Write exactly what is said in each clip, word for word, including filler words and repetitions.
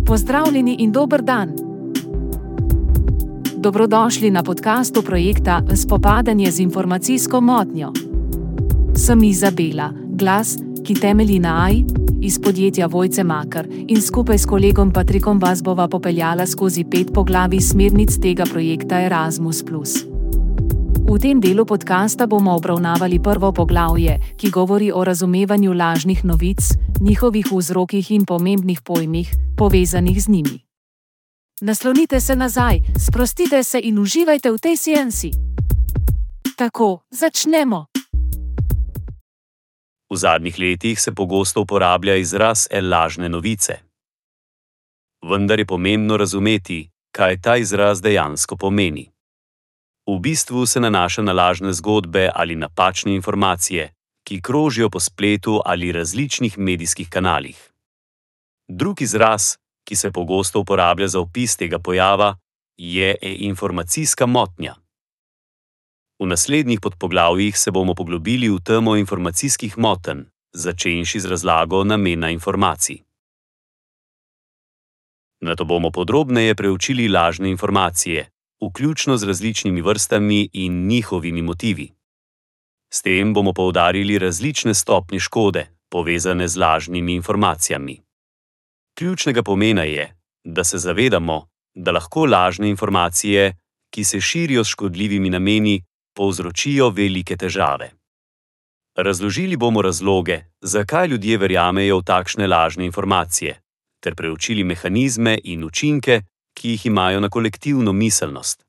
Pozdravljeni in dober dan. Dobrodošli na podkastu projekta Spopadanje z informacijsko motnjo. Sem Izabela, glas, ki temelji na A I, iz podjetja Vojce Makar in skupaj s kolegom Patrikom vas bova popeljala skozi pet poglavij smernic tega projekta Erasmus plus. V tem delu podkasta bomo obravnavali prvo poglavje, ki govori o razumevanju lažnih novic, njihovih vzrokih in pomembnih pojmih, povezanih z njimi. Naslonite se nazaj, sprostite se in uživajte v tej seansi. Tako, začnemo. V zadnjih letih se pogosto uporablja izraz lažne novice. Vendar je pomembno razumeti, kaj ta izraz dejansko pomeni. V bistvu se nanaša na lažne zgodbe ali napačne informacije, ki krožijo po spletu ali različnih medijskih kanalih. Drug izraz, ki se pogosto uporablja za opis tega pojava, je informacijska motnja. V naslednjih podpoglavjih se bomo poglobili v temo informacijskih motenj, začenši z razlago namena informacij. Nato bomo podrobneje preučili lažne informacije, vključno z različnimi vrstami in njihovimi motivi. S tem bomo poudarili različne stopnje škode, povezane z lažnimi informacijami. Ključnega pomena je, da se zavedamo, da lahko lažne informacije, ki se širijo s škodljivimi nameni, povzročijo velike težave. Razložili bomo razloge, zakaj ljudje verjamejo v takšne lažne informacije, ter preučili mehanizme in učinke, ki jih imajo na kolektivno miselnost.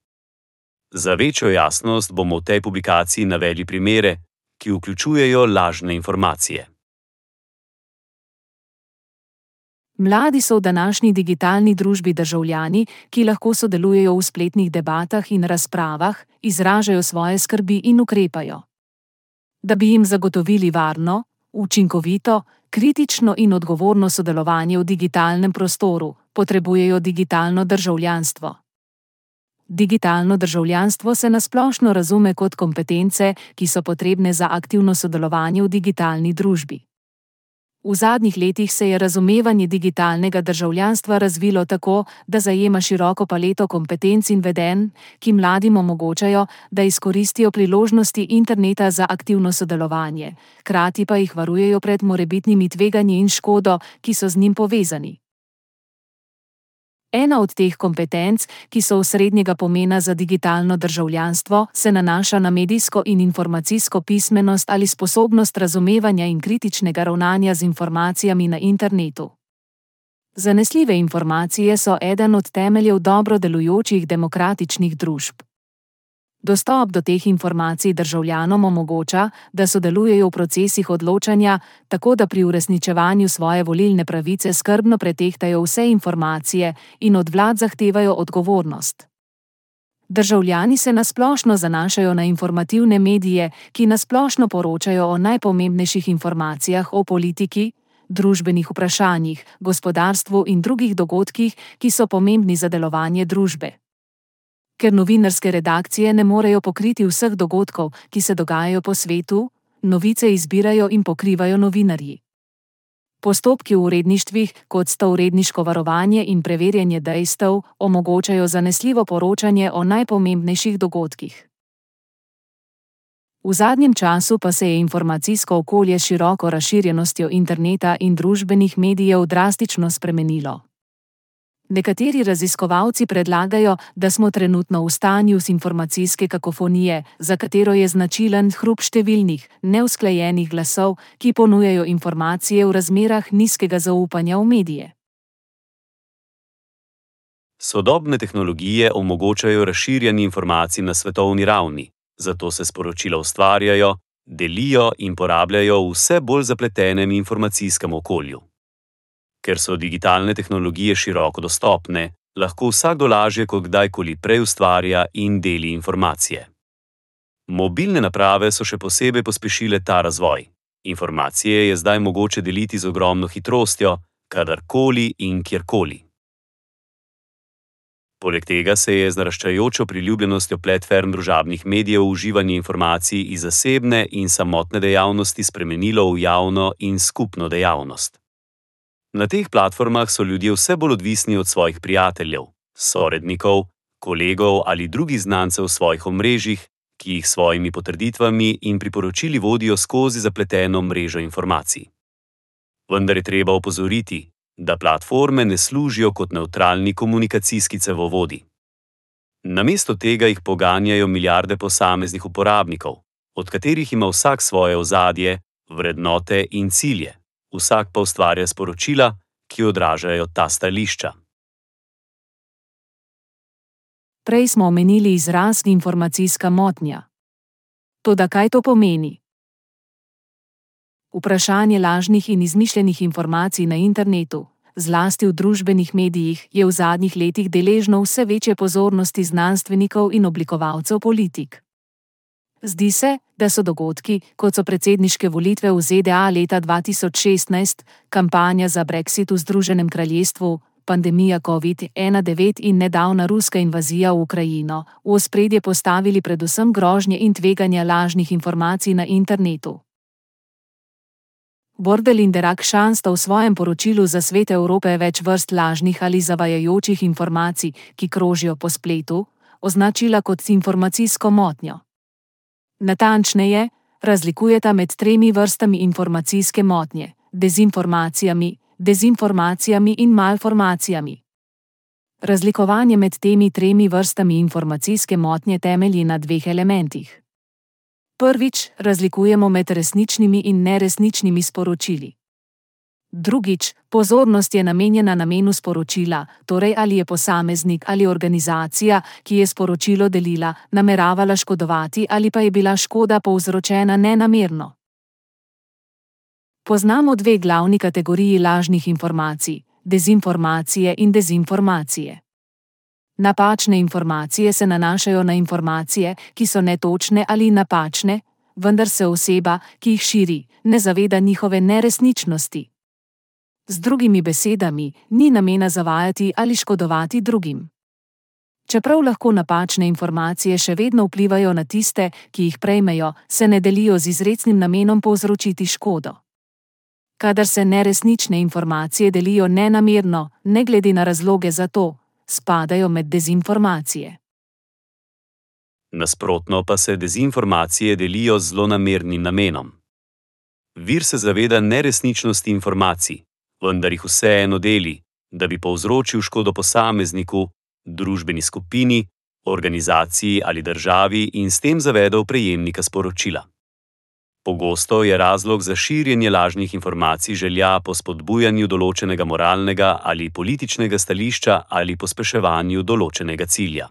Za večjo jasnost bomo v tej publikaciji navedli primere, ki vključujejo lažne informacije. Mladi so v današnji digitalni družbi državljani, ki lahko sodelujejo v spletnih debatah in razpravah, izražajo svoje skrbi in ukrepajo. Da bi jim zagotovili varno, učinkovito, kritično in odgovorno sodelovanje v digitalnem prostoru, potrebujejo digitalno državljanstvo. Digitalno državljanstvo se nasplošno razume kot kompetence, ki so potrebne za aktivno sodelovanje v digitalni družbi. V zadnjih letih se je razumevanje digitalnega državljanstva razvilo tako, da zajema široko paleto kompetenc in vedenj, ki mladim omogočajo, da izkoristijo priložnosti interneta za aktivno sodelovanje, hkrati pa jih varujejo pred morebitnimi tveganji in škodo, ki so z njim povezani. Ena od teh kompetenc, ki so osrednjega pomena za digitalno državljanstvo, se nanaša na medijsko in informacijsko pismenost ali sposobnost razumevanja in kritičnega ravnanja z informacijami na internetu. Zanesljive informacije so eden od temeljev dobro delujočih demokratičnih družb. Dostop do teh informacij državljanom omogoča, da sodelujejo v procesih odločanja, tako da pri uresničevanju svoje volilne pravice skrbno pretehtajo vse informacije in od vlad zahtevajo odgovornost. Državljani se nasplošno zanašajo na informativne medije, ki nasplošno poročajo o najpomembnejših informacijah o politiki, družbenih vprašanjih, gospodarstvu in drugih dogodkih, ki so pomembni za delovanje družbe. Ker novinarske redakcije ne morejo pokriti vseh dogodkov, ki se dogajajo po svetu, novice izbirajo in pokrivajo novinarji. Postopki v uredništvih, kot sta uredniško varovanje in preverjanje dejstev, omogočajo zanesljivo poročanje o najpomembnejših dogodkih. V zadnjem času pa se je informacijsko okolje s široko razširjenostjo interneta in družbenih medijev drastično spremenilo. Nekateri raziskovalci predlagajo, da smo trenutno v stanju informacijske kakofonije, za katero je značilen hrup številnih, neusklajenih glasov, ki ponujajo informacije v razmerah nizkega zaupanja v medije. Sodobne tehnologije omogočajo razširjanje informacij na svetovni ravni, zato se sporočila ustvarjajo, delijo in porabljajo v vse bolj zapletenem informacijskem okolju. Ker so digitalne tehnologije široko dostopne, lahko vsakdo lažje kot kdajkoli prej ustvarja in deli informacije. Mobilne naprave so še posebej pospešile ta razvoj. Informacije je zdaj mogoče deliti z ogromno hitrostjo, kadarkoli in kjerkoli. Poleg tega se je z naraščajočo priljubljenostjo platform družabnih medijev uživanje informacij iz zasebne in samotne dejavnosti spremenilo v javno in skupno dejavnost. Na teh platformah so ljudje vse bolj odvisni od svojih prijateljev, sorodnikov, kolegov ali drugih znancev v svojih omrežjih, ki jih s svojimi potrditvami in priporočili vodijo skozi zapleteno mrežo informacij. Vendar je treba opozoriti, da platforme ne služijo kot nevtralni komunikacijski cevovodi. Namesto tega jih poganjajo milijarde posameznih uporabnikov, od katerih ima vsak svoje ozadje, vrednote in cilje, vsak pa ustvarja sporočila, ki odražajo ta stališča. Prej smo omenili izraz informacijska motnja. Toda kaj to pomeni? Vprašanje lažnih in izmišljenih informacij na internetu, zlasti v družbenih medijih, je v zadnjih letih deležno vse večje pozornosti znanstvenikov in oblikovalcev politik. Zdi se, da so dogodki, kot so predsedniške volitve v Z D A leta dva tisoč šestnajst, kampanja za Brexit v Združenem kraljestvu, pandemija covid devet in nedavna ruska invazija v Ukrajino, v ospredje postavili predvsem grožnje in tveganja lažnih informacij na internetu. Bordel in Derak-Shan sta v svojem poročilu za svet Evrope več vrst lažnih ali zavajajočih informacij, ki krožijo po spletu, označila kot informacijsko motnjo. Natančneje, razlikujeta med tremi vrstami informacijske motnje: dezinformacijami, dezinformacijami in malformacijami. Razlikovanje med temi tremi vrstami informacijske motnje temelji na dveh elementih. Prvič, razlikujemo med resničnimi in neresničnimi sporočili. Drugič, pozornost je namenjena namenu sporočila, torej ali je posameznik ali organizacija, ki je sporočilo delila, nameravala škodovati ali pa je bila škoda povzročena nenamerno. Poznamo dve glavni kategoriji lažnih informacij: dezinformacije in dezinformacije. Napačne informacije se nanašajo na informacije, ki so netočne ali napačne, vendar se oseba, ki jih širi, ne zaveda njihove neresničnosti. Z drugimi besedami, ni namena zavajati ali škodovati drugim. Čeprav lahko napačne informacije še vedno vplivajo na tiste, ki jih prejmejo, se ne delijo z izrecnim namenom povzročiti škodo. Kadar se neresnične informacije delijo nenamerno, ne glede na razloge za to, spadajo med dezinformacije. Nasprotno pa se dezinformacije delijo z zlonamernim namenom. Vir se zaveda neresničnosti informacij, vendar jih vseeno deli, da bi povzročil škodo posamezniku, družbeni skupini, organizaciji ali državi in s tem zavedel prejemnika sporočila. Pogosto je razlog za širjenje lažnih informacij želja po spodbujanju določenega moralnega ali političnega stališča ali pospeševanju določenega cilja.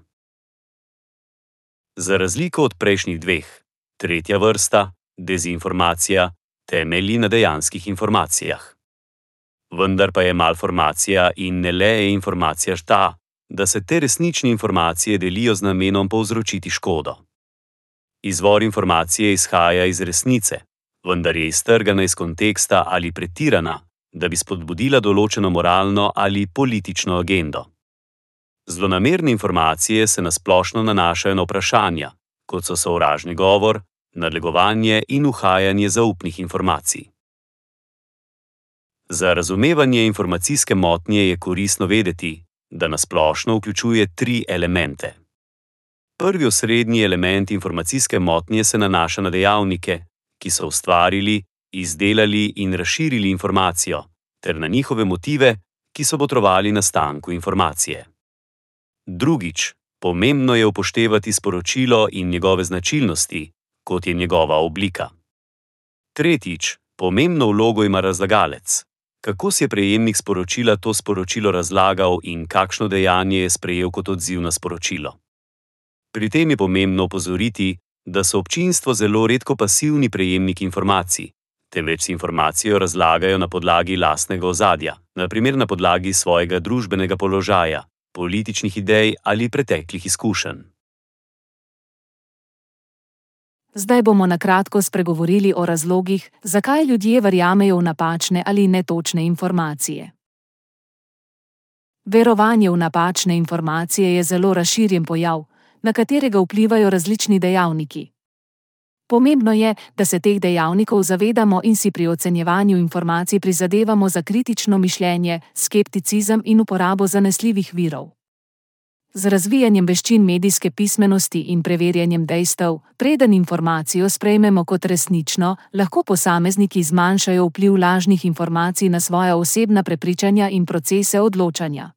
Za razliko od prejšnjih dveh, tretja vrsta, dezinformacija, temelji na dejanskih informacijah. Vendar pa je malformacija in ne le informacija ta, da se te resnične informacije delijo z namenom povzročiti škodo. Izvor informacije izhaja iz resnice, vendar je iztrgana iz konteksta ali pretirana, da bi spodbudila določeno moralno ali politično agendo. Zlonamerne informacije se na splošno nanašajo na vprašanja, kot so sovražni govor, nadlegovanje in uhajanje zaupnih informacij. Za razumevanje informacijske motnje je koristno vedeti, da na splošno vključuje tri elemente. Prvi osrednji element informacijske motnje se nanaša na dejavnike, ki so ustvarili, izdelali in razširili informacijo, ter na njihove motive, ki so botrovali nastanku informacije. Drugič, pomembno je upoštevati sporočilo in njegove značilnosti, kot je njegova oblika. Tretjič, pomembno vlogo ima razlagalec. Kako si je prejemnik sporočila to sporočilo razlagal in kakšno dejanje je sprejel kot odziv na sporočilo. Pri tem je pomembno opozoriti, da so občinstvo zelo redko pasivni prejemniki informacij, temveč si informacijo razlagajo na podlagi lastnega ozadja, na primer na podlagi svojega družbenega položaja, političnih idej ali preteklih izkušenj. Zdaj bomo na kratko spregovorili o razlogih, zakaj ljudje verjamejo v napačne ali netočne informacije. Verovanje v napačne informacije je zelo razširjen pojav, na katerega vplivajo različni dejavniki. Pomembno je, da se teh dejavnikov zavedamo in si pri ocenjevanju informacij prizadevamo za kritično mišljenje, skepticizem in uporabo zanesljivih virov. Z razvijanjem veščin medijske pismenosti in preverjanjem dejstev, preden informacijo sprejmemo kot resnično, lahko posamezniki zmanjšajo vpliv lažnih informacij na svoja osebna prepričanja in procese odločanja.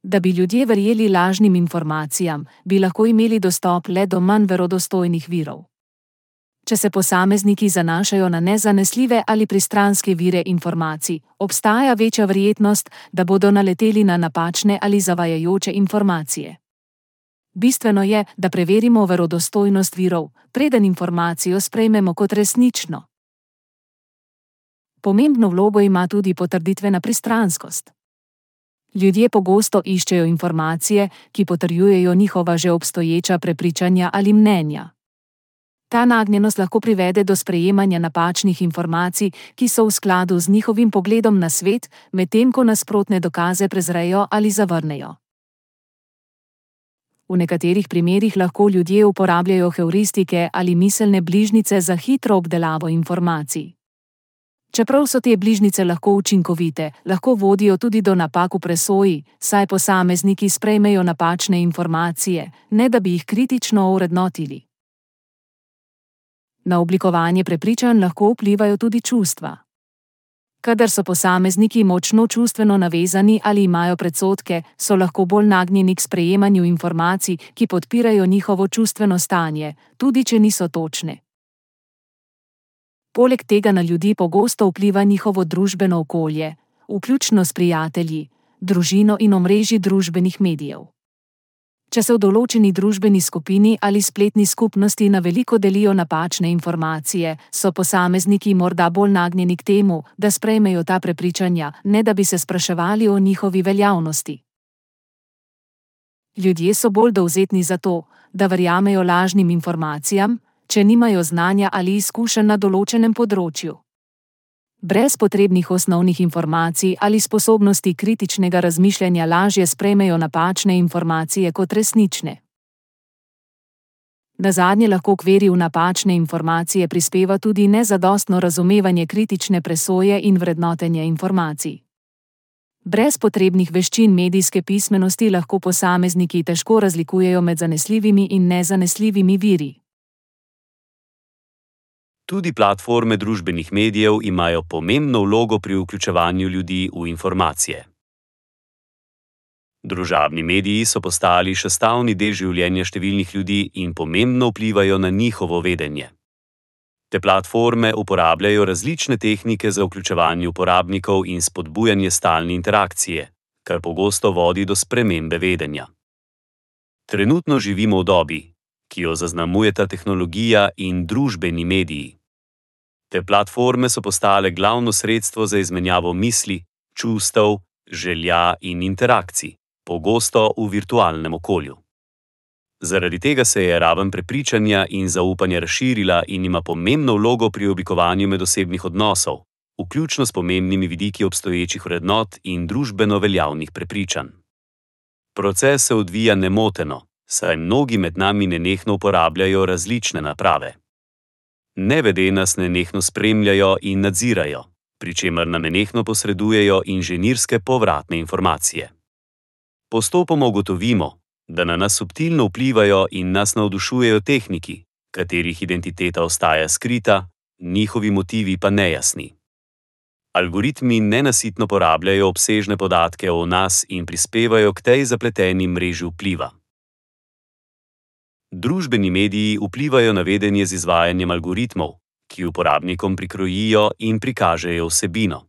Da bi ljudje verjeli lažnim informacijam, bi lahko imeli dostop le do manj verodostojnih virov. Če se posamezniki zanašajo na nezanesljive ali pristranske vire informacij, obstaja večja verjetnost, da bodo naleteli na napačne ali zavajajoče informacije. Bistveno je, da preverimo verodostojnost virov, preden informacijo sprejmemo kot resnično. Pomembno vlogo ima tudi potrditvena pristranskost. Ljudje pogosto iščejo informacije, ki potrjujejo njihova že obstoječa prepričanja ali mnenja. Ta nagnjenost lahko privede do sprejemanja napačnih informacij, ki so v skladu z njihovim pogledom na svet, medtem ko nasprotne dokaze prezrejo ali zavrnejo. V nekaterih primerih lahko ljudje uporabljajo heuristike ali miselne bližnjice za hitro obdelavo informacij. Čeprav so te bližnjice lahko učinkovite, lahko vodijo tudi do napak v presoji, saj posamezniki sprejmejo napačne informacije, ne da bi jih kritično ovrednotili. Na oblikovanje prepričanj lahko vplivajo tudi čustva. Kadar so posamezniki močno čustveno navezani ali imajo predsodke, so lahko bolj nagnjeni k sprejemanju informacij, ki podpirajo njihovo čustveno stanje, tudi če niso točne. Poleg tega na ljudi pogosto vpliva njihovo družbeno okolje, vključno s prijatelji, družino in omrežji družbenih medijev. Če se v določeni družbeni skupini ali spletni skupnosti na veliko delijo napačne informacije, so posamezniki morda bolj nagnjeni k temu, da sprejmejo ta prepričanja, ne da bi se spraševali o njihovi veljavnosti. Ljudje so bolj dovzetni za to, da verjamejo lažnim informacijam, če nimajo znanja ali izkušenj na določenem področju. Brez potrebnih osnovnih informacij ali sposobnosti kritičnega razmišljanja lažje sprejmejo napačne informacije kot resnične. Nazadnje lahko k veri v napačne informacije prispeva tudi nezadostno razumevanje kritične presoje in vrednotenja informacij. Brez potrebnih veščin medijske pismenosti lahko posamezniki težko razlikujejo med zanesljivimi in nezanesljivimi viri. Tudi platforme družbenih medijev imajo pomembno vlogo pri vključevanju ljudi v informacije. Družabni mediji so postali sestavni del življenja številnih ljudi in pomembno vplivajo na njihovo vedenje. Te platforme uporabljajo različne tehnike za vključevanje uporabnikov in spodbujanje stalne interakcije, kar pogosto vodi do spremembe vedenja. Trenutno živimo v dobi, ki jo zaznamujeta tehnologija in družbeni mediji. Te platforme so postale glavno sredstvo za izmenjavo misli, čustev, želja in interakcij, pogosto v virtualnem okolju. Zaradi tega se je raven prepričanja in zaupanja razširila in ima pomembno vlogo pri oblikovanju medosebnih odnosov, vključno s pomembnimi vidiki obstoječih vrednot in družbeno veljavnih prepričanj. Proces se odvija nemoteno, saj mnogi med nami nenehno uporabljajo različne naprave. Nevede nas nenehno spremljajo in nadzirajo, pri čemer nam nenehno posredujejo inženirske povratne informacije. Postopoma ugotovimo, da na nas subtilno vplivajo in nas navdušujejo tehniki, katerih identiteta ostaja skrita, njihovi motivi pa nejasni. Algoritmi nenasitno porabljajo obsežne podatke o nas in prispevajo k tej zapleteni mreži vpliva. Družbeni mediji vplivajo na vedenje z izvajanjem algoritmov, ki uporabnikom prikrojijo in prikažejo vsebino.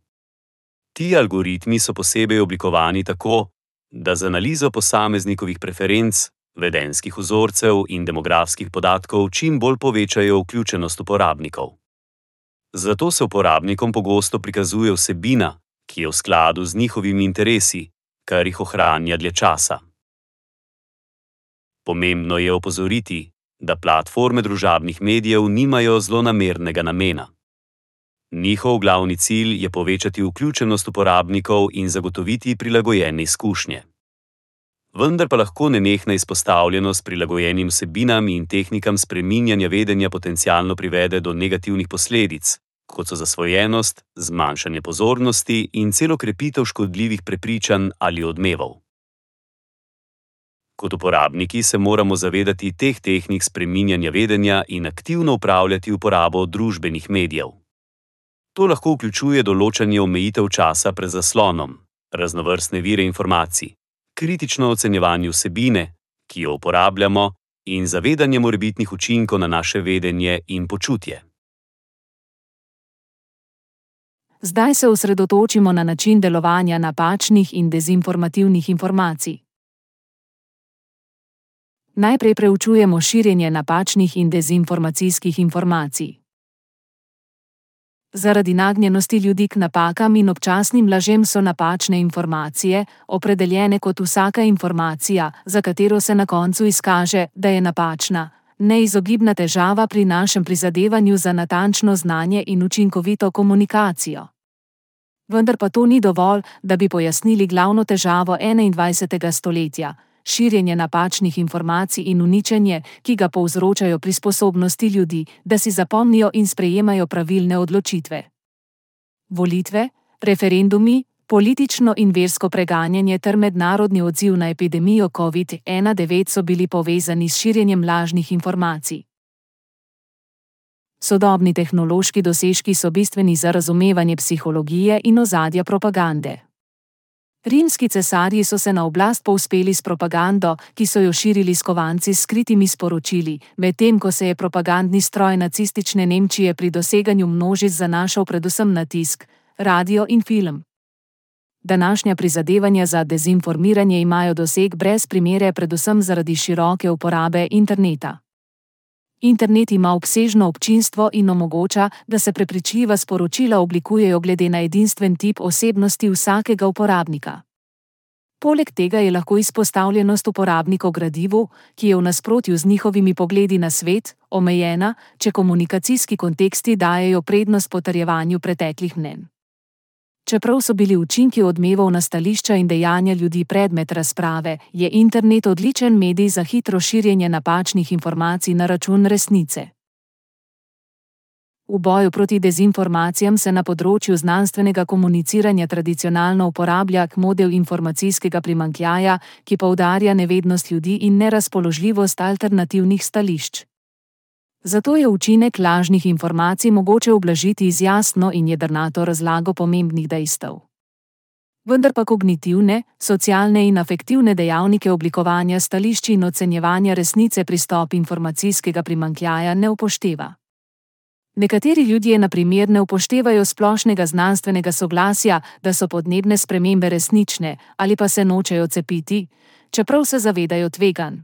Ti algoritmi so posebej oblikovani tako, da z analizo posameznikovih preferenc, vedenjskih vzorcev in demografskih podatkov čim bolj povečajo vključenost uporabnikov. Zato se uporabnikom pogosto prikazuje vsebina, ki je v skladu z njihovimi interesi, kar jih ohranja dlje časa. Pomembno je opozoriti, da platforme družabnih medijev nimajo zlonamernega namena. Njihov glavni cilj je povečati vključenost uporabnikov in zagotoviti prilagojene izkušnje. vendar pa lahko nenehna izpostavljenost prilagojenim vsebinam in tehnikam spreminjanja vedenja potencialno privede do negativnih posledic, kot so zasvojenost, zmanjšanje pozornosti in celo krepitev škodljivih prepričanj ali odmevov. Kot uporabniki se moramo zavedati teh tehnik spreminjanja vedenja in aktivno upravljati uporabo družbenih medijev. To lahko vključuje določanje omejitev časa pred zaslonom, raznovrstne vire informacij, kritično ocenjevanje vsebine, ki jo uporabljamo, in zavedanje morebitnih učinkov na naše vedenje in počutje. Zdaj se osredotočimo na način delovanja napačnih in dezinformativnih informacij. Najprej preučujemo širjenje napačnih in dezinformacijskih informacij. Zaradi nagnjenosti ljudi k napakam in občasnim lažem so napačne informacije opredeljene kot vsaka informacija, za katero se na koncu izkaže, da je napačna, neizogibna težava pri našem prizadevanju za natančno znanje in učinkovito komunikacijo. Vendar pa to ni dovolj, da bi pojasnili glavno težavo enaindvajsetega stoletja, širjenje napačnih informacij in uničenje, ki ga povzročajo pri sposobnosti ljudi, da si zapomnijo in sprejemajo pravilne odločitve. Volitve, referendumi, politično in versko preganjanje ter mednarodni odziv na epidemijo covid devetnajst so bili povezani s širjenjem lažnih informacij. Sodobni tehnološki dosežki so bistveni za razumevanje psihologije in ozadja propagande. Rimski cesarji so se na oblast povzpeli s propagando, ki so jo širili skovanci s skritimi sporočili, medtem ko se je propagandni stroj nacistične Nemčije pri doseganju množic zanašal predvsem na tisk, radio in film. Današnja prizadevanja za dezinformiranje imajo doseg brez primere predvsem zaradi široke uporabe interneta. Internet ima obsežno občinstvo in omogoča, da se prepričljiva sporočila oblikujejo glede na edinstven tip osebnosti vsakega uporabnika. Poleg tega je lahko izpostavljenost uporabnikov gradivu, ki je v nasprotju z njihovimi pogledi na svet, omejena, če komunikacijski konteksti dajejo prednost potrjevanju preteklih mnenj. Čeprav so bili učinki odmevov na stališča in dejanja ljudi predmet razprave, je internet odličen medij za hitro širjenje napačnih informacij na račun resnice. V boju proti dezinformacijam se na področju znanstvenega komuniciranja tradicionalno uporablja model informacijskega primanjkljaja, ki poudarja nevednost ljudi in nerazpoložljivost alternativnih stališč. Zato je učinek lažnih informacij mogoče ublažiti z jasno in jedrnato razlago pomembnih dejstev. Vendar pa kognitivne, socialne in afektivne dejavnike oblikovanja stališč in ocenjevanja resnice pristop informacijskega primanjkljaja ne upošteva. Nekateri ljudje na primer ne upoštevajo splošnega znanstvenega soglasja, da so podnebne spremembe resnične, ali pa se nočejo cepiti, čeprav se zavedajo tveganj.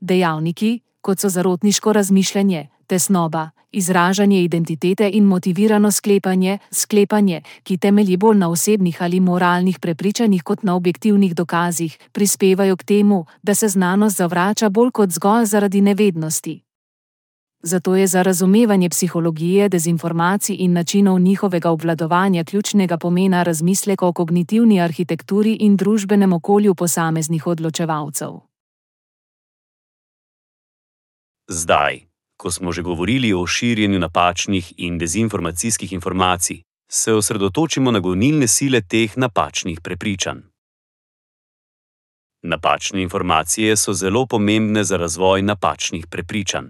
Dejavniki, kot so zarotniško razmišljanje, tesnoba, izražanje identitete in motivirano sklepanje, sklepanje, ki temelji bolj na osebnih ali moralnih prepričanjih kot na objektivnih dokazih, prispevajo k temu, da se znanost zavrača bolj kot zgolj zaradi nevednosti. Zato je za razumevanje psihologije dezinformacij in načinov njihovega obvladovanja ključnega pomena razmislek o kognitivni arhitekturi in družbenem okolju posameznih odločevalcev. Zdaj, ko smo že govorili o širjenju napačnih in dezinformacijskih informacij, se osredotočimo na gonilne sile teh napačnih prepričanj. Napačne informacije so zelo pomembne za razvoj napačnih prepričanj.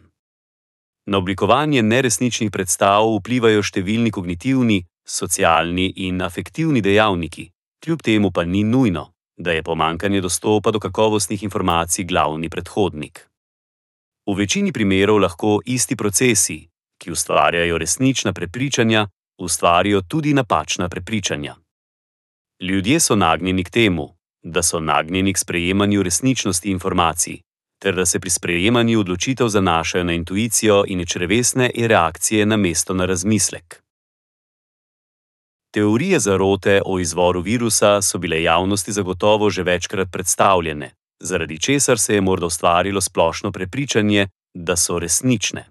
Na oblikovanje neresničnih predstav vplivajo številni kognitivni, socialni in afektivni dejavniki, kljub temu pa ni nujno, da je pomanjkanje dostopa do kakovostnih informacij glavni predhodnik. V večini primerov lahko isti procesi, ki ustvarjajo resnična prepričanja, ustvarijo tudi napačna prepričanja. Ljudje so nagnjeni k temu, da so nagnjeni k sprejemanju resničnosti informacij, ter da se pri sprejemanju odločitev zanašajo na intuicijo in črevesne reakcije namesto na razmislek. Teorije zarote o izvoru virusa so bile javnosti zagotovo že večkrat predstavljene, zaradi česar se je morda ustvarilo splošno prepričanje, da so resnične.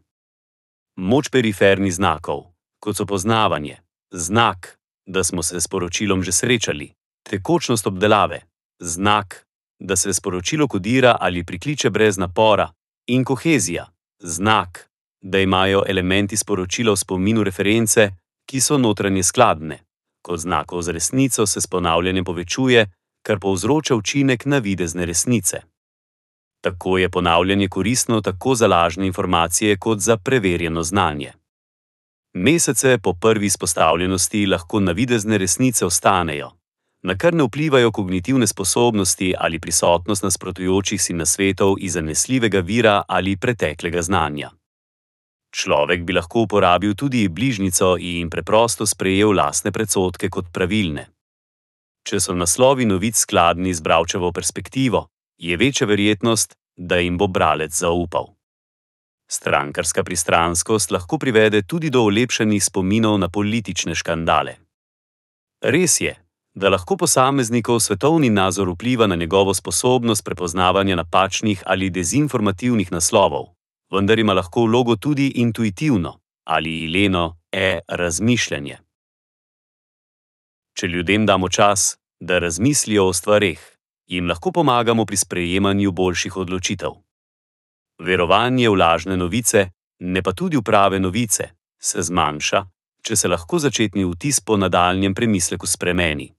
Moč perifernih znakov, kot so poznavanje, znak, da smo se s poročilom že srečali, tekočnost obdelave, znak, da se sporočilo kodira ali prikliče brez napora, in kohezija, znak, da imajo elementi sporočila v spominu reference, ki so notranje skladne. Kot znakov z resnico se s ponavljanjem povečuje, kar povzroča učinek navidezne resnice. Tako je ponavljanje koristno tako za lažne informacije kot za preverjeno znanje. Mesece po prvi izpostavljenosti lahko navidezne resnice ostanejo, na kar ne vplivajo kognitivne sposobnosti ali prisotnost nasprotujočih si nasvetov iz zanesljivega vira ali preteklega znanja. Človek bi lahko uporabil tudi bližnjico in preprosto sprejel lastne predsodke kot pravilne. Če so naslovi novic skladni z bralčevo perspektivo, je večja verjetnost, da jim bo bralec zaupal. Strankarska pristranskost lahko privede tudi do olepšanih spominov na politične škandale. Res je, da lahko posameznikov svetovni nazor vpliva na njegovo sposobnost prepoznavanja napačnih ali dezinformativnih naslovov, vendar ima lahko vlogo tudi intuitivno ali ileno e-razmišljanje. Če ljudem damo čas, da razmislijo o stvareh, jim lahko pomagamo pri sprejemanju boljših odločitev. Verovanje v lažne novice, ne pa tudi v prave novice, se zmanjša, če se lahko začetni vtis po nadaljnjem premisleku spremeni.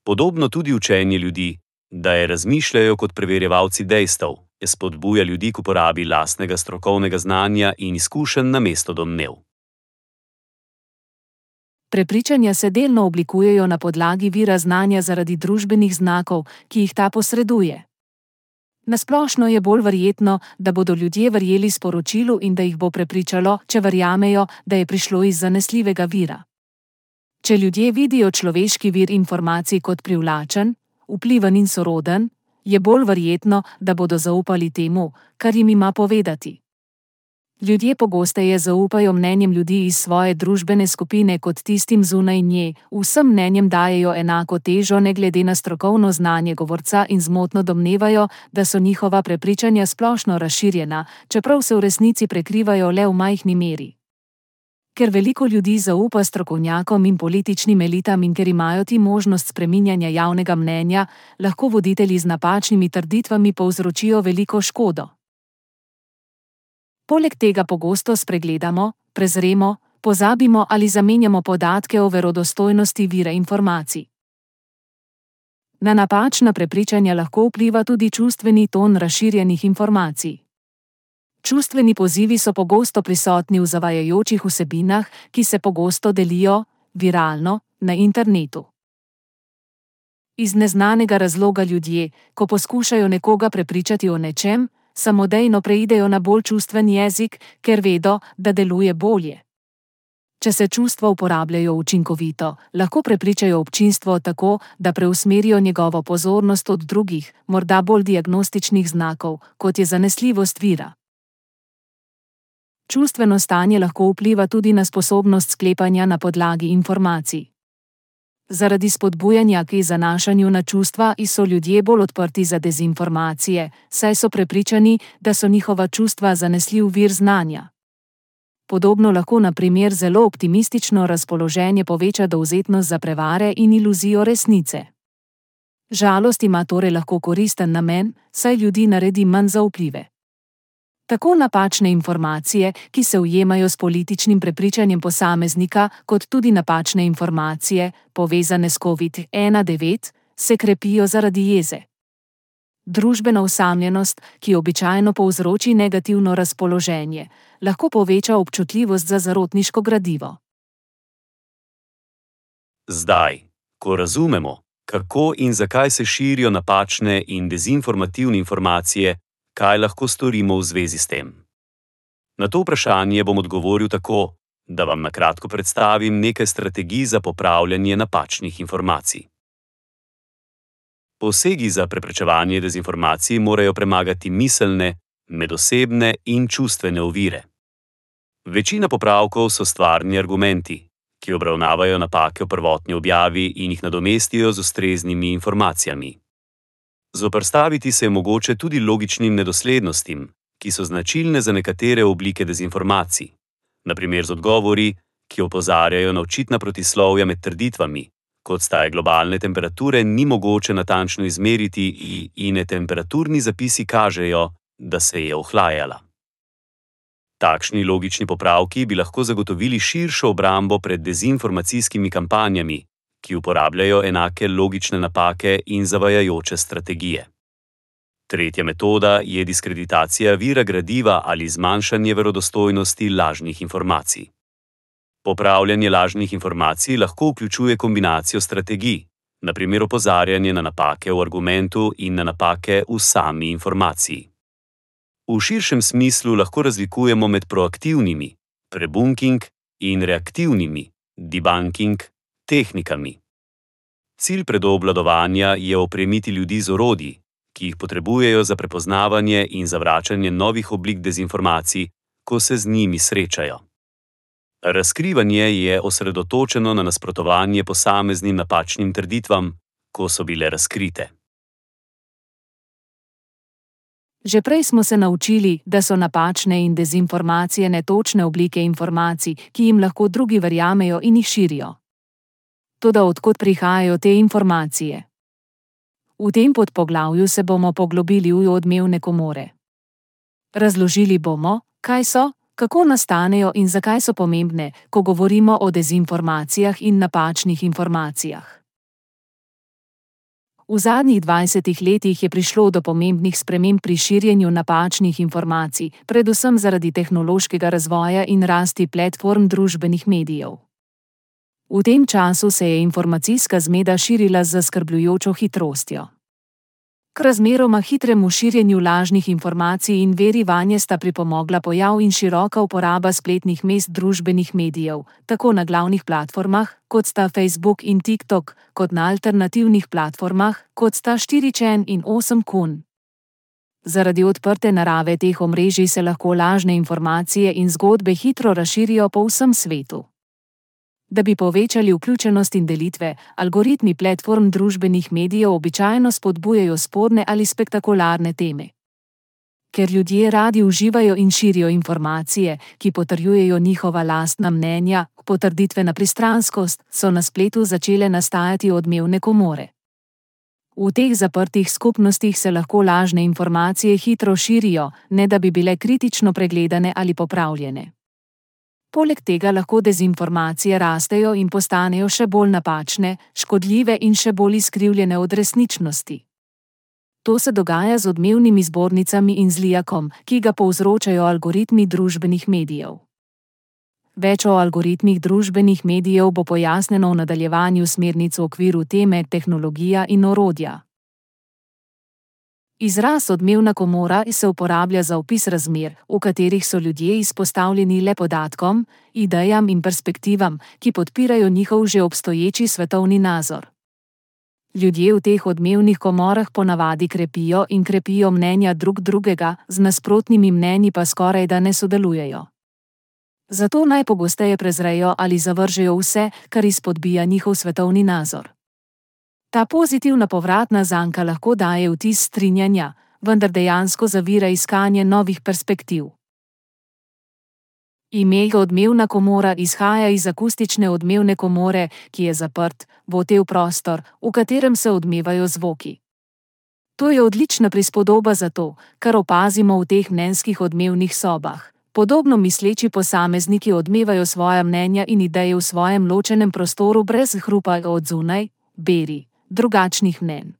Podobno tudi učenje ljudi, da je razmišljajo kot preverjevalci dejstev, je spodbuja ljudi k uporabi lastnega strokovnega znanja in izkušenj namesto domnev. Prepričanja se delno oblikujejo na podlagi vira znanja zaradi družbenih znakov, ki jih ta posreduje. Na splošno je bolj verjetno, da bodo ljudje verjeli sporočilu in da jih bo prepričalo, če verjamejo, da je prišlo iz zanesljivega vira. Če ljudje vidijo človeški vir informacij kot privlačen, vpliven in soroden, je bolj verjetno, da bodo zaupali temu, kar jim ima povedati. Ljudje pogosteje zaupajo mnenjem ljudi iz svoje družbene skupine kot tistim zunaj nje, vsem mnenjem dajejo enako težo ne glede na strokovno znanje govorca in zmotno domnevajo, da so njihova prepričanja splošno razširjena, čeprav se v resnici prekrivajo le v majhni meri. Ker veliko ljudi zaupa strokovnjakom in političnim elitam in ker imajo ti možnost spreminjanja javnega mnenja, lahko voditelji z napačnimi trditvami povzročijo veliko škodo. Poleg tega pogosto spregledamo, prezremo, pozabimo ali zamenjamo podatke o verodostojnosti vira informacij. Na napačna prepričanja lahko vpliva tudi čustveni ton razširjenih informacij. Čustveni pozivi so pogosto prisotni v zavajajočih vsebinah, ki se pogosto delijo, viralno, na internetu. Iz neznanega razloga ljudje, ko poskušajo nekoga prepričati o nečem, samodejno preidejo na bolj čustven jezik, ker vedo, da deluje bolje. Če se čustva uporabljajo učinkovito, lahko prepričajo občinstvo tako, da preusmerijo njegovo pozornost od drugih, morda bolj diagnostičnih znakov, kot je zanesljivost vira. Čustveno stanje lahko vpliva tudi na sposobnost sklepanja na podlagi informacij. Zaradi spodbujanja k zanašanju na čustva so ljudje bolj odprti za dezinformacije, saj so prepričani, da so njihova čustva zanesljiv vir znanja. Podobno lahko na primer zelo optimistično razpoloženje poveča dovzetnost za prevare in iluzijo resnice. Žalost ima torej lahko koristen namen, saj ljudi naredi manj zaupljive. Tako napačne informacije, ki se ujemajo s političnim prepričanjem posameznika, kot tudi napačne informacije, povezane s covid devet, se krepijo zaradi jeze. Družbena osamljenost, ki običajno povzroči negativno razpoloženje, lahko poveča občutljivost za zarotniško gradivo. Zdaj, ko razumemo, kako in zakaj se širijo napačne in dezinformativne informacije, kaj lahko storimo v zvezi s tem? Na to vprašanje bom odgovoril tako, da vam na kratko predstavim nekaj strategij za popravljanje napačnih informacij. Posegi za preprečevanje dezinformacij morajo premagati miselne, medosebne in čustvene ovire. Večina popravkov so stvarni argumenti, ki obravnavajo napake v prvotni objavi in jih nadomestijo z ustreznimi informacijami. Zoperstaviti se je mogoče tudi logičnim nedoslednostim, ki so značilne za nekatere oblike dezinformacij, na primer z odgovori, ki opozarjajo na očitna protislovja med trditvami, kot sta globalne temperature, ni mogoče natančno izmeriti in temperaturni zapisi kažejo, da se je ohlajala. Takšni logični popravki bi lahko zagotovili širšo obrambo pred dezinformacijskimi kampanjami, ki uporabljajo enake logične napake in zavajajoče strategije. Tretja metoda je diskreditacija vira gradiva ali zmanjšanje verodostojnosti lažnih informacij. Popravljanje lažnih informacij lahko vključuje kombinacijo strategij, na primer opozarjanje na napake v argumentu in na napake v sami informaciji. V širšem smislu lahko razlikujemo med proaktivnimi, prebunking, in reaktivnimi, debunking, tehnikami. Cilj predobvladovanja je opremiti ljudi z orodji, ki jih potrebujejo za prepoznavanje in zavračanje novih oblik dezinformacij, ko se z njimi srečajo. Razkrivanje je osredotočeno na nasprotovanje posameznim napačnim trditvam, ko so bile razkrite. Že prej smo se naučili, da so napačne in dezinformacije netočne oblike informacij, ki jim lahko drugi verjamejo in jih širijo. Toda od kod prihajajo te informacije? V tem podpoglavju se bomo poglobili v odmevne komore. Razložili bomo, kaj so, kako nastanejo in zakaj so pomembne, ko govorimo o dezinformacijah in napačnih informacijah. V zadnjih dvajsetih letih je prišlo do pomembnih sprememb pri širjenju napačnih informacij, predvsem zaradi tehnološkega razvoja in rasti platform družbenih medijev. V tem času se je informacijska zmeda širila z zaskrbljujočo hitrostjo. K razmeroma hitremu širjenju lažnih informacij in veri vanje sta pripomogla pojav in široka uporaba spletnih mest družbenih medijev, tako na glavnih platformah, kot sta Facebook in TikTok, kot na alternativnih platformah, kot sta štiri čen in osem kun. Zaradi odprte narave teh omrežij se lahko lažne informacije in zgodbe hitro razširijo po vsem svetu. Da bi povečali vključenost in delitve, algoritmi platform družbenih medijev običajno spodbujajo sporne ali spektakularne teme. Ker ljudje radi uživajo in širijo informacije, ki potrjujejo njihova lastna mnenja, potrditvena pristranskost, so na spletu začele nastajati odmevne komore. V teh zaprtih skupnostih se lahko lažne informacije hitro širijo, ne da bi bile kritično pregledane ali popravljene. Poleg tega lahko dezinformacije rastejo in postanejo še bolj napačne, škodljive in še bolj izkrivljene od resničnosti. To se dogaja z odmevnimi zbornicami in zlijakom, ki ga povzročajo algoritmi družbenih medijev. Več o algoritmih družbenih medijev bo pojasnjeno v nadaljevanju smernic v okviru teme tehnologija in orodja. Izraz odmevna komora se uporablja za opis razmer, v katerih so ljudje izpostavljeni le podatkom, idejam in perspektivam, ki podpirajo njihov že obstoječi svetovni nazor. Ljudje v teh odmevnih komorah ponavadi krepijo in krepijo mnenja drug drugega, z nasprotnimi mnenji pa skorajda ne sodelujejo. Zato najpogosteje prezrejo ali zavržejo vse, kar izpodbija njihov svetovni nazor. Ta pozitivna povratna zanka lahko daje vtis strinjanja, vendar dejansko zavira iskanje novih perspektiv. Ime odmevna komora izhaja iz akustične odmevne komore, ki je zaprt, votel prostor, v katerem se odmevajo zvoki. To je odlična prispodoba za to, kar opazimo v teh mnenjskih odmevnih sobah. Podobno misleči posamezniki odmevajo svoja mnenja in ideje v svojem ločenem prostoru brez hrupa od zunaj, beri, drugačnih mnenj.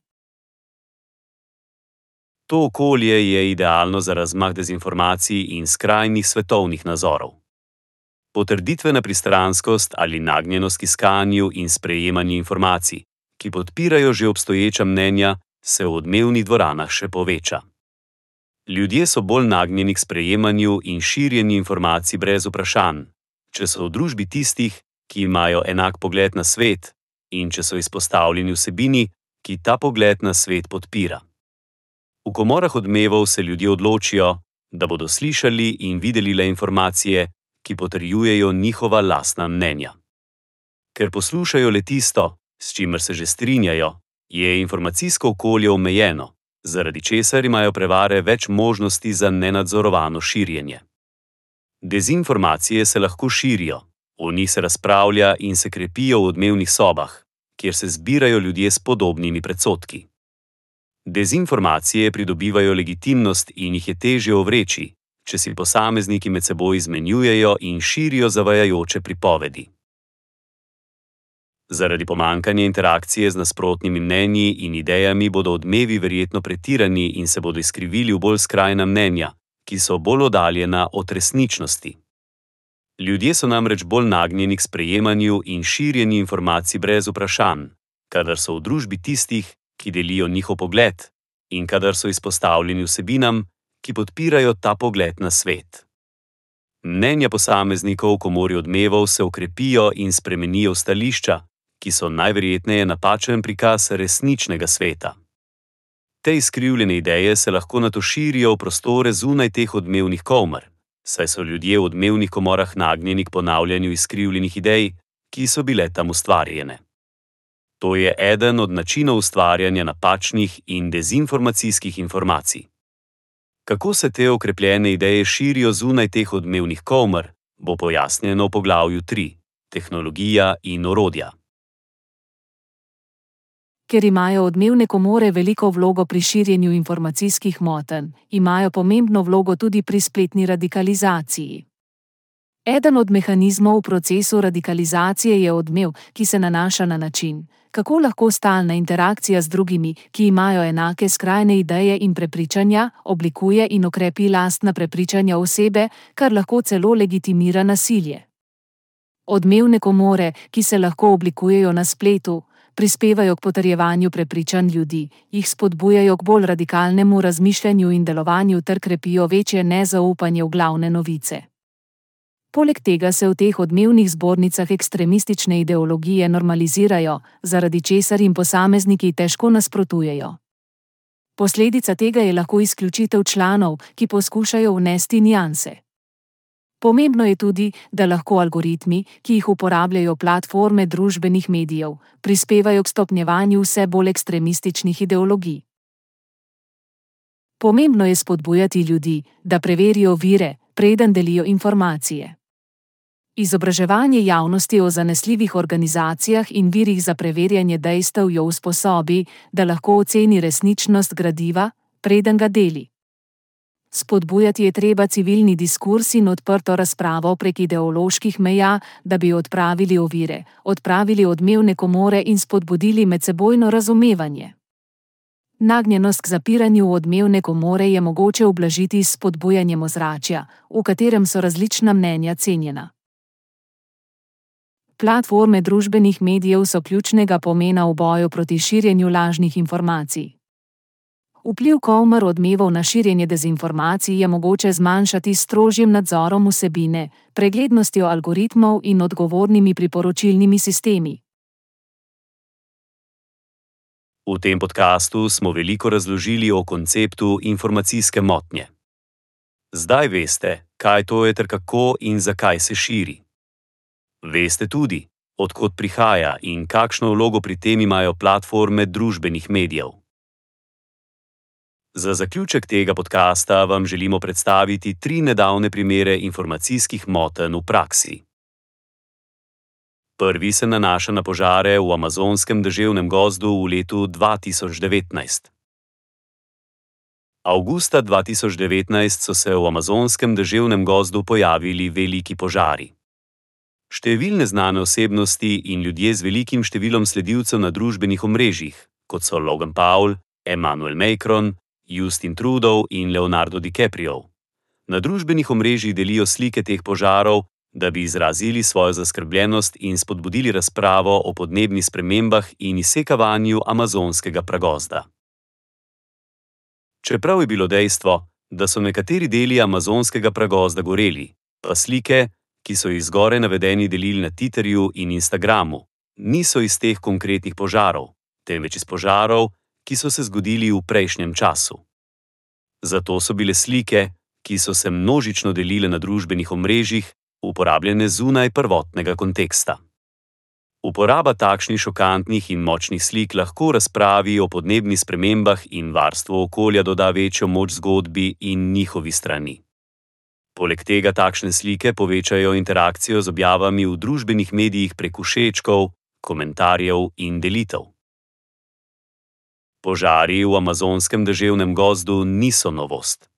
To okolje je idealno za razmah dezinformacij in skrajnih svetovnih nazorov. Potrditvena pristranskost ali nagnjenost k iskanju in sprejemanju informacij, ki podpirajo že obstoječa mnenja, se v odmevnih dvoranah še poveča. Ljudje so bolj nagnjeni k sprejemanju in širjenju informacij brez vprašanj, če so v družbi tistih, ki imajo enak pogled na svet, in če so izpostavljeni vsebini, ki ta pogled na svet podpira. V komorah odmevov se ljudje odločijo, da bodo slišali in videli le informacije, ki potrjujejo njihova lastna mnenja. Ker poslušajo le tisto, s čimer se že strinjajo, je informacijsko okolje omejeno, zaradi česar imajo prevare več možnosti za nenadzorovano širjenje. Dezinformacije se lahko širijo, o njih se razpravlja in se krepijo v odmevnih sobah, kjer se zbirajo ljudje s podobnimi predsodki. Dezinformacije pridobivajo legitimnost in jih je težje ovreči, če si posamezniki med seboj izmenjujejo in širijo zavajajoče pripovedi. Zaradi pomanjkanja interakcije z nasprotnimi mnenji in idejami bodo odmevi verjetno pretirani in se bodo izkrivili v bolj skrajna mnenja, ki so bolj oddaljena od resničnosti. Ljudje so namreč bolj nagnjeni k sprejemanju in širjenju informacij brez vprašanj, kadar so v družbi tistih, ki delijo njihov pogled, in kadar so izpostavljeni vsebinam, ki podpirajo ta pogled na svet. Mnenja posameznikov v komori odmevov se okrepijo in spremenijo v stališča, ki so najverjetneje napačen prikaz resničnega sveta. Te izkrivljene ideje se lahko nato širijo v prostore zunaj teh odmevnih komer, saj so ljudje v odmevnih komorah nagnjeni k ponavljanju izkrivljenih idej, ki so bile tam ustvarjene. To je eden od načinov ustvarjanja napačnih in dezinformacijskih informacij. Kako se te okrepljene ideje širijo zunaj teh odmevnih komer, bo pojasnjeno v poglavju tri: Tehnologija in orodja. Ker imajo odmevne komore veliko vlogo pri širjenju informacijskih motenj, imajo pomembno vlogo tudi pri spletni radikalizaciji. Eden od mehanizmov v procesu radikalizacije je odmev, ki se nanaša na način, kako lahko stalna interakcija z drugimi, ki imajo enake skrajne ideje in prepričanja, oblikuje in okrepi lastna prepričanja osebe, kar lahko celo legitimira nasilje. Odmevne komore, ki se lahko oblikujejo na spletu, prispevajo k potrjevanju prepričanj ljudi, jih spodbujajo k bolj radikalnemu razmišljanju in delovanju ter krepijo večje nezaupanje v glavne novice. Poleg tega se v teh odmevnih zbornicah ekstremistične ideologije normalizirajo, zaradi česar jim posamezniki težko nasprotujejo. Posledica tega je lahko izključitev članov, ki poskušajo vnesti nianse. Pomembno je tudi, da lahko algoritmi, ki jih uporabljajo platforme družbenih medijev, prispevajo k stopnjevanju vse bolj ekstremističnih ideologij. Pomembno je spodbujati ljudi, da preverijo vire, preden delijo informacije. Izobraževanje javnosti o zanesljivih organizacijah in virih za preverjanje dejstev jo usposobi, da lahko oceni resničnost gradiva, preden ga deli. Spodbujati je treba civilni diskurz in odprto razpravo prek ideoloških meja, da bi odpravili ovire, odpravili odmevne komore in spodbudili medsebojno razumevanje. Nagnjenost k zapiranju v odmevne komore je mogoče ublažiti s spodbujanjem ozračja, v katerem so različna mnenja cenjena. Platforme družbenih medijev so ključnega pomena v boju proti širjenju lažnih informacij. Vpliv komer odmevov na širjenje dezinformacij je mogoče zmanjšati s strožjim nadzorom vsebine, preglednostjo algoritmov in odgovornimi priporočilnimi sistemi. V tem podkastu smo veliko razložili o konceptu informacijske motnje. Zdaj veste, kaj to je ter kako in zakaj se širi. Veste tudi, od kod prihaja in kakšno vlogo pri tem imajo platforme družbenih medijev. Za zaključek tega podkasta vam želimo predstaviti tri nedavne primere informacijskih motenj v praksi. Prvi se nanaša na požare v amazonskem deževnem gozdu v letu dva tisoč devetnajst. Avgusta dva tisoč devetnajst so se v amazonskem deževnem gozdu pojavili veliki požari. Številne znane osebnosti in ljudje z velikim številom sledilcev na družbenih omrežjih, kot so Logan Paul, Emmanuel Macron, Justin Trudeau in Leonardo DiCaprio, na družbenih omrežjih delijo slike teh požarov, da bi izrazili svojo zaskrbljenost in spodbudili razpravo o podnebnih spremembah in izsekavanju amazonskega pragozda. Čeprav je bilo dejstvo, da so nekateri deli amazonskega pragozda goreli, pa slike, ki so jih zgoraj navedeni delili na Twitterju in Instagramu, niso iz teh konkretnih požarov, temveč iz požarov, ki so se zgodili v prejšnjem času. Zato so bile slike, ki so se množično delile na družbenih omrežjih, uporabljene zunaj prvotnega konteksta. Uporaba takšnih šokantnih in močnih slik lahko razpravi o podnebnih spremembah in varstvu okolja doda večjo moč zgodbi in njihovi strani. Poleg tega takšne slike povečajo interakcijo z objavami v družbenih medijih prek všečkov, komentarjev in delitev. Požari v amazonskem deževnem gozdu niso novost.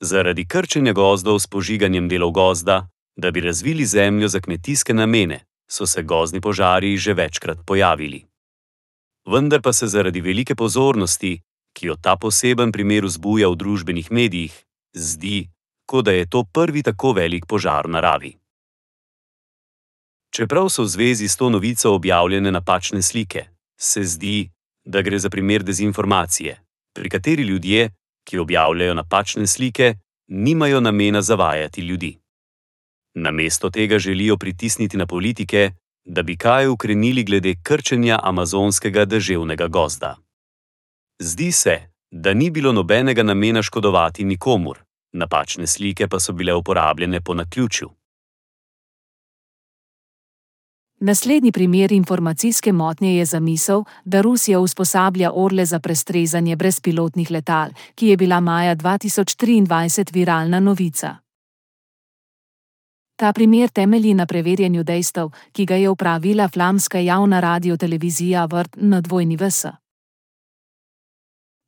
Zaradi krčenja gozdov s požiganjem delov gozda, da bi razvili zemljo za kmetijske namene, so se gozdni požari že večkrat pojavili. Vendar pa se zaradi velike pozornosti, ki jo ta poseben primer vzbuja v družbenih medijih, zdi, kot da je to prvi tako velik požar v naravi. Čeprav so v zvezi s to novico objavljene napačne slike, se zdi, da gre za primer dezinformacije, pri kateri ljudje, ki objavljajo napačne slike, nimajo namena zavajati ljudi. Namesto tega želijo pritisniti na politike, da bi kaj ukrenili glede krčenja amazonskega deževnega gozda. Zdi se, da ni bilo nobenega namena škodovati nikomur, napačne slike pa so bile uporabljene po naključju. Naslednji primer informacijske motnje je zamisel, da Rusija usposablja orle za prestrezanje brezpilotnih letal, ki je bila maja dva tisoč triindvajset viralna novica. Ta primer temelji na preverjanju dejstev, ki ga je opravila flamska javna radiotelevizija V R T N W S.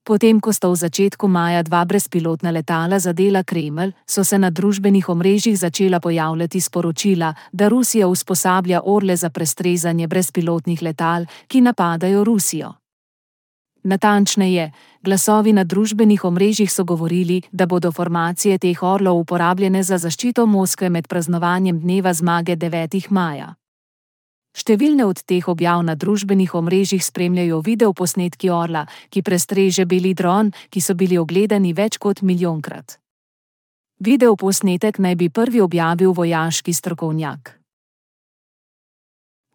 Potem, ko sta v začetku maja dva brezpilotna letala zadela Kremelj, so se na družbenih omrežjih začela pojavljati sporočila, da Rusija usposablja orle za prestrezanje brezpilotnih letal, ki napadajo Rusijo. Natančneje, glasovi na družbenih omrežjih so govorili, da bodo formacije teh orlov uporabljene za zaščito Moskve med praznovanjem dneva zmage devetega maja. Številne od teh objav na družbenih omrežjih spremljajo videoposnetki orla, ki prestreže beli dron, ki so bili ogledani več kot milijonkrat. Videoposnetek naj bi prvi objavil vojaški strokovnjak.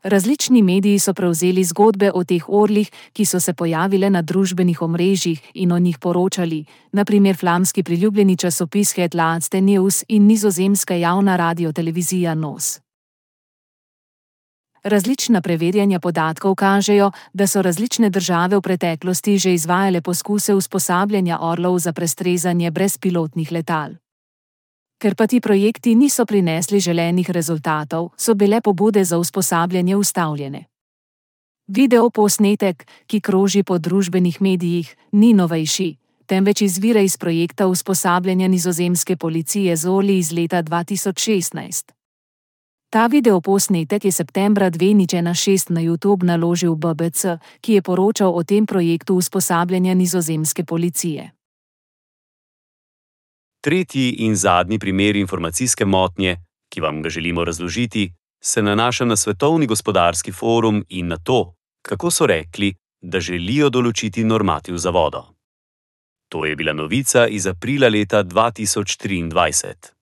Različni mediji so prevzeli zgodbe o teh orlih, ki so se pojavile na družbenih omrežjih in o njih poročali, na primer flamski priljubljeni časopis Het Laatste Nieuws in nizozemska javna radiotelevizija N O S. Različna preverjanja podatkov kažejo, da so različne države v preteklosti že izvajale poskuse usposabljanja orlov za prestrezanje brezpilotnih letal. Ker pa ti projekti niso prinesli želenih rezultatov, so bile pobude za usposabljanje ustavljene. Videoposnetek, ki kroži po družbenih medijih, ni novejši, temveč izvira iz projekta usposabljanja nizozemske policije z orli iz leta dva tisoč šestnajst. Ta videoposnetek je septembra dve tisoč šestnajst na YouTube naložil B B C, ki je poročal o tem projektu usposabljanja nizozemske policije. Tretji in zadnji primer informacijske motnje, ki vam ga želimo razložiti, se nanaša na Svetovni gospodarski forum in na to, kako so rekli, da želijo določiti normativ za vodo. To je bila novica iz aprila leta dva tisoč triindvajset.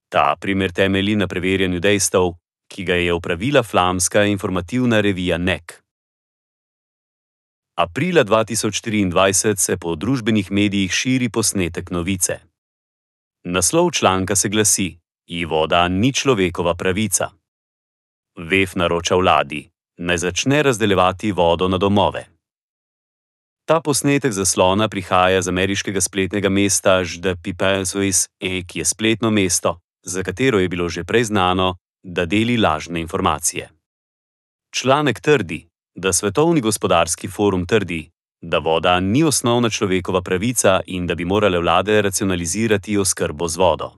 Ta primer temelji na preverjanju dejstev, ki ga je opravila flamska informativna revija N E K. Aprila dva tisoč triindvajset se po družbenih medijih širi posnetek novice. Naslov članka se glasi: "I voda ni človekova pravica." W E F naroča vladi, naj začne razdeljevati vodo na domove. Ta posnetek zaslona prihaja z ameriškega spletnega mesta The People's Voice, ki je spletno mesto, za katero je bilo že prej znano, da deli lažne informacije. Članek trdi, da Svetovni gospodarski forum trdi, da voda ni osnovna človekova pravica in da bi morale vlade racionalizirati oskrbo z vodo.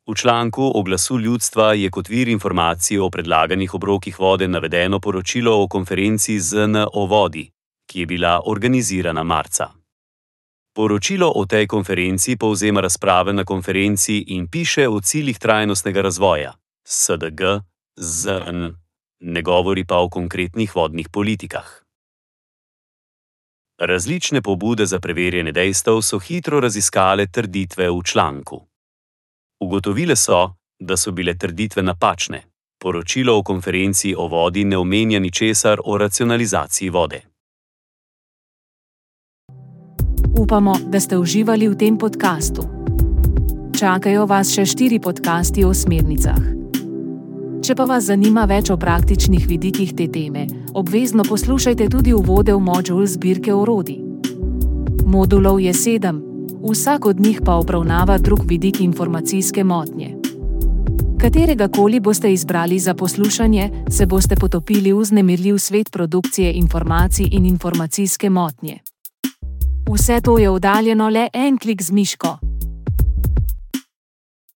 V članku o glasu ljudstva je kot vir informacij o predlaganih obrokih vode navedeno poročilo o konferenci Z N o vodi, ki je bila organizirana marca. Poročilo o tej konferenci povzema razprave na konferenci in piše o ciljih trajnostnega razvoja, S D G, Z N, ne govori pa o konkretnih vodnih politikah. Različne pobude za preverjanje dejstev so hitro raziskale trditve v članku. Ugotovile so, da so bile trditve napačne. Poročilo o konferenci o vodi ne omenja ničesar o racionalizaciji vode. Upamo, da ste uživali v tem podkastu. Čakajo vas še štiri podkasti o smernicah. Če pa vas zanima več o praktičnih vidikih te teme, obvezno poslušajte tudi uvode v modul zbirke orodij. Modulov je sedem, vsak od njih pa obravnava drug vidik informacijske motnje. Katerega koli boste izbrali za poslušanje, se boste potopili v vznemirljiv svet produkcije informacij in informacijske motnje. Vse to je oddaljeno le en klik z miško.